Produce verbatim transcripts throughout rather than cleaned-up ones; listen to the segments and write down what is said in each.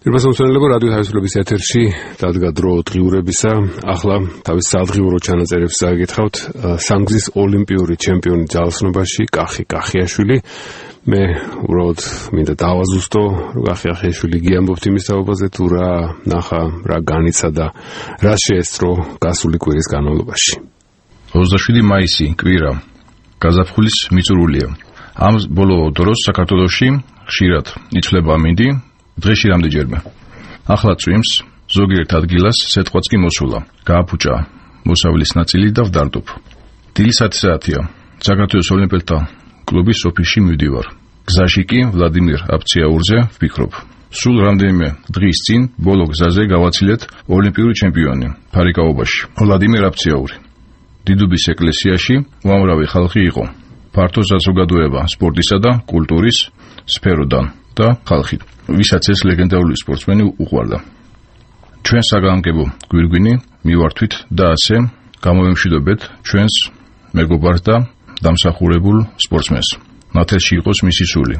Ირბასამცველებო რადიო თავისუფლების ეთერში დადგა დრო დღიურებისა. ახლა თავის სადღიურო ჩანაწერებს გაგითხავთ სამგზის ოლიმპიური ჩემპიონი ძალოსნობაში კახი კახიაშვილი. მე უბრალოდ მინდა დავაზუსტო, რომ კახი კახიაშვილი გიამბობთ იმის თაობაზე, თუ რა ნახა, რა განიცადა, რა შეესწრო გასული კვირის განმავლობაში. ოცდაშვიდი მაისი კვირა გაზაფხულის მიწურულია. ამ ბოლო დროს საქართველოში ხშირად იცვლება ამინდი, დღეში რამდენჯერმე. ახლა წვიმს, ზოგიერთ ადგილას სეტყვაც კი მოსულა. გააფუჭა მოსავლის ნაწილი და ვდარდობ. დილის ათი საათია. საქართველოს ოლიმპიელთა კლუბის ოფისში მივდივარ. გზაში კი ვლადიმერ აფციაურზე ვფიქრობ. სულ რამდენიმე დღის წინ ბოლო გზაზე გავაცილეთ ოლიმპიური ჩემპიონი ფარიკაობაში ვლადიმერ აფციაური. დიდუბის ეკლესიაში უამრავი ხალხი იყო. ფართო საზოგადოება სპორტისა და კულტურის სფეროდან და ხალხი, ვისაც ეს ლეგენდარული სპორტსმენი უყვარდა. ჩვენ საგანგებო გვირგვინი მივართვით და ასე გამოვემშვიდობეთ ჩვენს მეგობარს და დამსახურებულ სპორტსმენს. ნათელში იყოს მისი სული.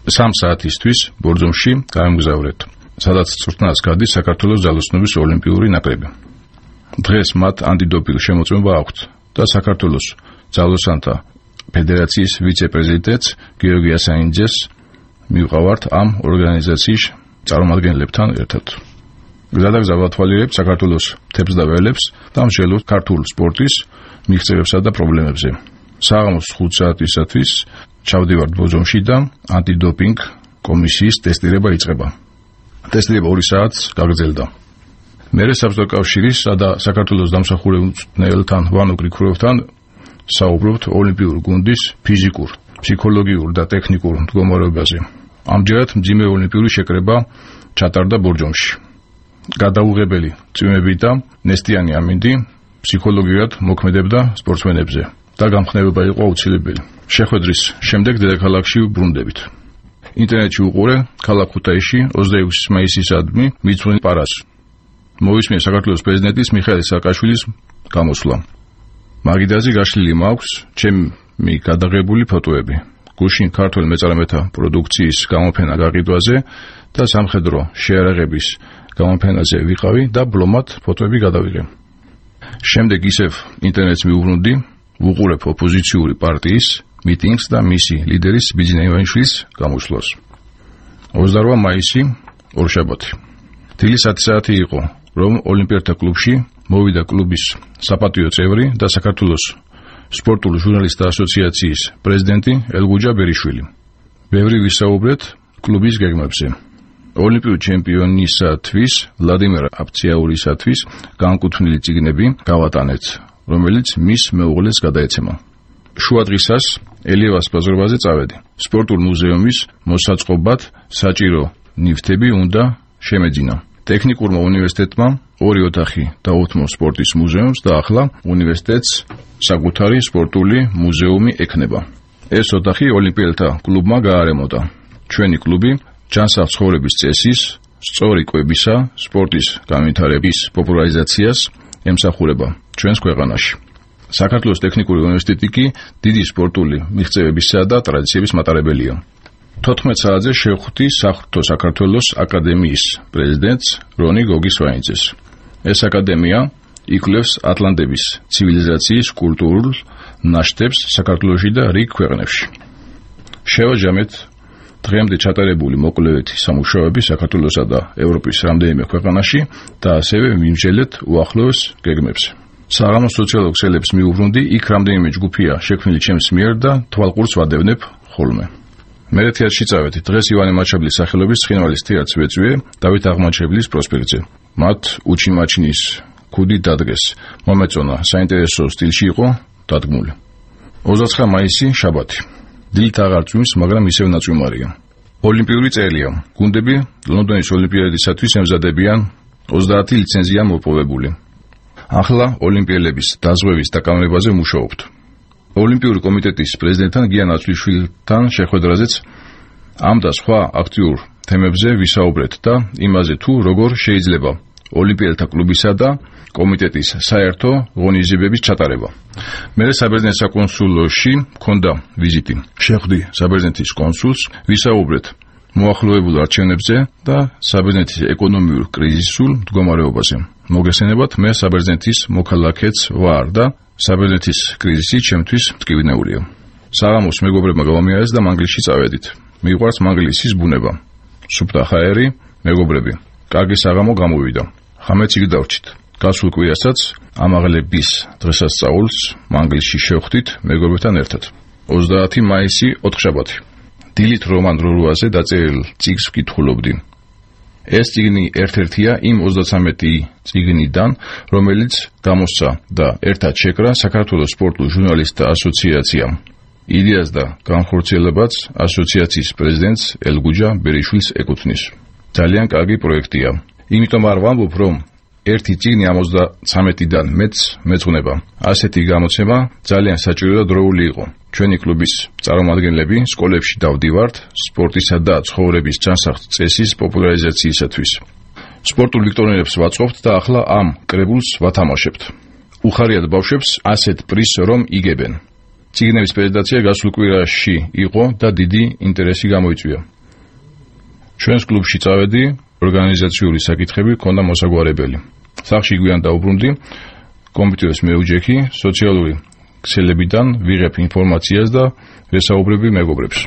სამ საათისთვის ბორძომში გამგზავრეთ, სადაც წვრთნას გადის საქართველოს ძალოსნობის ოლიმპიური ნაკრები. დღეს მათ ანტიდოპინგ შემოწმება აქვთ და საქართველოს ძალოსანთა ფედერაციის ვიცე-პრეზიდენტს გიორგი ასანიძეს მივყავართ ამ ორგანიზაციის წარმომადგენლებთან ერთად. გზადაგზა ვათვალიერებ საქართველოს თემს და ველებს და მსჯელობთ ქართულ სპორტის მიღწევებსა და პრობლემებზე. საღამოს ხუთ საათისათვის ჩავდივართ ბორძომში და ანტიდოპინგ კომისიის ტესტირება იწყება. ტესტირება ორი საათს გაგრძელდა. მერე საბჭოთა კავშირისა და საქართველოს დამსახურებულ მწვრთნელთან ვანო გრიგოროვთან საუბრობთ ოლიმპიური გუნდის ფიზიკურ, ფსიქოლოგიურ და ტექნიკურ მდგომარეობაზე. ამჯერად მძიმე ოლიმპიური შეკრება ჩატარდა ბორძომში. გადაუღებელი წვიმები და ნესტიანი ამინდი ფსიქოლოგიურად მოქმედებდა სპორტსმენებზე და გამხნევება იყო აუცილებელი. შეხვედრის შემდეგ დედაქალაქში ბრუნდებით. ინტერნეტში უყურე ქალაქ ქუთაისში ოცდაექვსი მაისისადმი მიწვენ პარას. მოვისმინე საქართველოს პრეზიდენტის მიხეილ სააკაშვილის გამოსვლა. მაგიდაზე გაშლილი მაქვს ჩემი გადაღებული ფოტოები. გუშინ ქართულ მეწარმეთა პროდუქციის გამოფენა გაყიდვაზე და სამხედრო შეარაღების გამოფენაზე ვიყავი და ბლომად ფოტოები გადავიღე. შემდეგ ისევ ინტერნეტს მივუბრუნდი, ვუყურებ ოპოზიციური პარტიის მიტინგს და მისი ლიდერის ბიძინა ივანიშვილის გამოსვლას. ოცდაოთხი მაისი ორშაბათი. დილის ათი საათი იყო, რომ ოლიმპიელთა კლუბში მოვიდა კლუბის საპატიო წევრი და საქართველოს სპორტული ჟურნალისტთა ასოციაციის პრეზიდენტი ელგუჯა ბერიშვილი. ბევრი ვისაუბრეთ კლუბის გეგმებზე. ოლიმპიური ჩემპიონისათვის ვლადიმერ აფციაურისათვის განკუთვნილი წიგნები გავატანეთ, რომელიც მის მეუღლეს გადაეცემა. შუა დღისას ელიევას ბაზრობაზე წავედი. სპორტულ მუზეუმის მოსაწყობად საჭირო ნივთები უნდა შემეძინა. ტექნიკურმა უნივერსიტეტმა ორი ოთახი დაუთმო სპორტის მუზეუმს და ახლა უნივერსიტეტს საკუთარი სპორტული მუზეუმი ექნება. ეს ოთახი ოლიმპიელთა კლუბმა გაარემონტა. ჩვენი კლუბი ჯანსაღ ცხოვრების წესის, სწორი კვებისა, სპორტის განვითარების პოპულარიზაციას ემსახურება ჩვენს ქვეყანაში. საქართველოს ტექნიკური უნივერსიტეტი კი დიდი სპორტული მიღწევებისა და ტრადიციების მატარებელია. თოთხმეტ საათზე შევხვდი საღვთო საქართველოს აკადემიის პრეზიდენტს რონი გოგისვაინიძეს. ეს აკადემია იკვლევს ატლანტების ცივილიზაციის კულტურულ ნაშთებს საქართველოში და რიგ ქვეყნებში. შევაჯამეთ დღემდე ჩატარებული მოკვლევეთი სამუშაოები საქართველოსა და ევროპის რამდენიმე ქვეყანაში და ასევე ვიმსჯელეთ უახლოეს გეგმებს. საღამოს სოციალურ ქსელებს მიუბრუნდი, იქ რამდენიმე ჯგუფია შექმნილი ჩემს მიერ და თვალყურს ვადევნებ ხოლმე. მერე თეატრში წავედი. დღეს ივანე მაჩაბლის სახელობის ცხინვალის თეატრს ვეწვიე დავით აღმაჩებლის პროსპექტზე. მათ უჩიმაჩინის ქუდი დადგეს. მომეწონა საინტერესო სტილში იყო დადგმული. ოცდაცხრა მაისი შაბათი. დილით აღარ წვიმს, მაგრამ ისევ ნაწვიმარია. ოლიმპიური წერია. გუნდები ლონდონის ოლიმპიადისათვის ემზადებიან, ოცდაათი ლიცენზია მოპოვებული. ახლა ოლიმპიელების დაზღვევის დაკავებაზე მუშაობთ. ოლიმპიური კომიტეტის პრეზიდენტთან გიან აწვიშვილთან შეხვედრაზეც ამ და სხვა აქტიურ თემებზე ვისაუბრეთ და იმაზე თუ როგორ შეიძლება ოლიმპიელთა კლუბისა და კომიტეტის საერთო ღონისძიებების ჩატარება. მერე საბერძნეთის საკონსულოში მქონდა ვიზიტი. შეხვდი საბერძნეთის კონსულს, ვისაუბრეთ მოახლოებულ არჩევნებზე და საბერძნეთის ეკონომიურ კრიზისულ მდგომარეობაზე. მოგესალმებათ, მე საბერძნეთის მოქალაქეც ვარ და საბერძნეთის კრიზისი ჩემთვის მტკივნეულია. საღამოს მეგობრებმა გავამიარეს და მანგლისში წავედით. მიყვარს მანგლისის ბუნება. სუფთა ჰაერი, მეგობრები. კარგი საღამო გამოვიდა. ხამეც იქ დავრჩით. გასულ კვირასაც ამაღლების დღესასწაულს მანგლისში შევხვდით მეგობრებთან ერთად. ოცდაათი მაისი ოთხშაბათი. დილით რომან რორუაზე დაწერილ წიგნს ვკითხულობდი. ეს წიგნი ერთ-ერთია იმ ოცდათვრამეტი წიგნიდან, რომელიც გამოსცა და ერთად შეკრა საქართველოს სპორტულ ჟურნალისტთა ასოციაციამ. იდეას და განხორციელებაც ასოციაციის პრეზიდენტს ელგუჯა ბერიშვილს ეკუთვნის. ძალიან კარგი პროექტია. იმიტომ არ ვამბობ, რომ ერთი წიგნი ამ ოცდათვრამეტიდან მეც მეძღვნება. ასეთი გამოცემა ძალიან საჭირო და დროული იყო. ჩვენი კლუბის წარმომადგენლები სკოლებში დავდივართ სპორტისა და ცხოვრების ჯანსაღ წესის პოპულარიზაციისათვის. სპორტულ ვიქტორინებს ვაწყობთ და ახლა ამ კრებულს ვათამაშებთ. უხარიათ ბავშვებს ასეთ პრიზს რომ იგებენ. წიგნების პრეზენტაცია გასულ კვირაში იყო და დიდი ინტერესი გამოიწვია. ჩვენს კლუბში წავედი, ორგანიზაციული საკითხები ჰქონდა მოსაგვარებელი. სახლში გვიან დაუბრუნდი, კომპიუტერს მეუჯექი, სოციალური ქსელებიდან ვიღებ ინფორმაციას და ვესაუბრები მეგობრებს.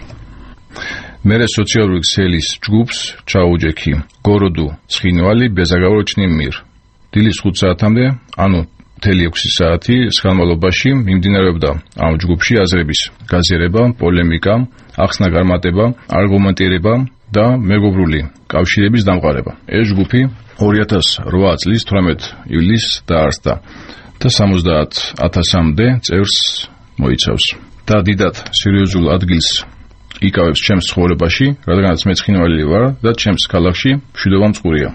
მერე სოციალური ქსელის ჯგუფს ჩაუჯექი გოროდუ ცხინვალი ბეზაგავროჩნიმ მირ. დილის ხუთ საათამდე, ანუ მთელი ექვსი საათი სხალმალობაში მიმდინარეობდა ამ ჯგუფში აზრების გაზიარება, პოლემიკა, ახსნა წარმატება, არგუმენტირება და მეგობრული კავშირების დამყარება. ეს ჯგუფი ორი ათას ოთხ წლის თვრამეტ ივლისს დაარსდა და სამოცდაათ ათასამდე წევრს მოიცავს. და დიდად სერიოზულ ადგილს იკავებს ჩემს ცხოვრებაში, რადგანაც მე ცხინვალი ვარ და ჩემს ქალაქში მშვიდობა მწყურია.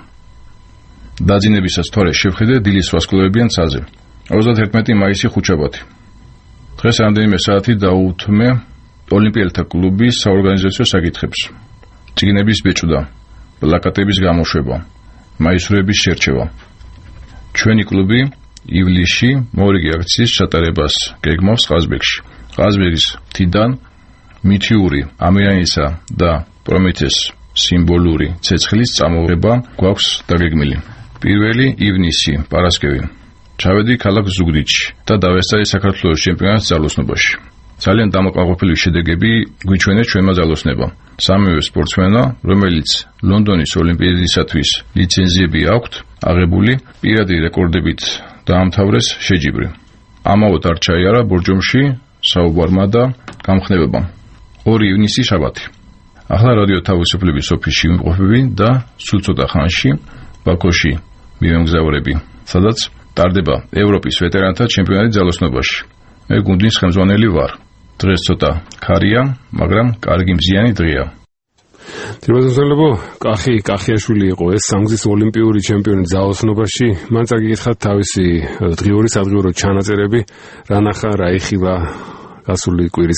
დაძინებისას თორე შევხედე დილის ვასკვლავებიან ცაზე. ოცდაათერთმეტი მაისი ხუთშაბათი. დღეს რამდენიმე საათი დაუთმე ოლიმპიელთა კლუბის საორგანიზაციო საკითხებს. წიგნების ბეჭვდა, პლაკატების გამოშვება, მაისურების შერჩევა. ჩვენი კლუბი ივლისში მორიგი აქციის ჩატარებას გეგმავს ყაზბეგში. ყაზბეგის მთიდან მითიური ამირანისა და პრომეთეს სიმბოლური ცეცხლის წამოღება გვაქვს დაგეგმილი. პირველი ივნისი, პარასკევი. ჩავედი ქალაქ ზუგდიდში და დავესწარი საქართველოს ჩემპიონატს ძალოსნობაში. ძალიან დამაკმაყოფილი შედეგები გვიჩვენეს ჩვენმა ძალოსნებამ. სამივე სპორტსმენმა, რომელიც ლონდონის ოლიმპიადისათვის ლიცენზიები აქვთ აღებული, პირადი რეკორდებით დაამთავრეს შეჯიბრი. ამაოდ არ ჩაიარა ბორჯომში საუბარმა და გამხნევებამ. ორი ივნისი შაბათი. ახლა რადიო თავისუფლების ოფისში ვიმყოფები და სულ ცოტა ხანში ბაქოში მივემგზავრები, სადაც ტარდება ევროპის ვეტერანთა ჩემპიონატი ძალოსნობაში. მე გუნდის ხელმძღვანელი ვარ. დღეს ცოტა ქარია, მაგრამ კარგი მზიანი დღეა. თემაზოსელებო, კახი კახიაშვილი იყო ეს სამგზის ოლიმპიური ჩემპიონი ძალოსნობაში. მან წაგიკითხათ თავისი დღიური სადღიურო ჩანაწერები, რა ნახა, რა იხილა გასული კვირის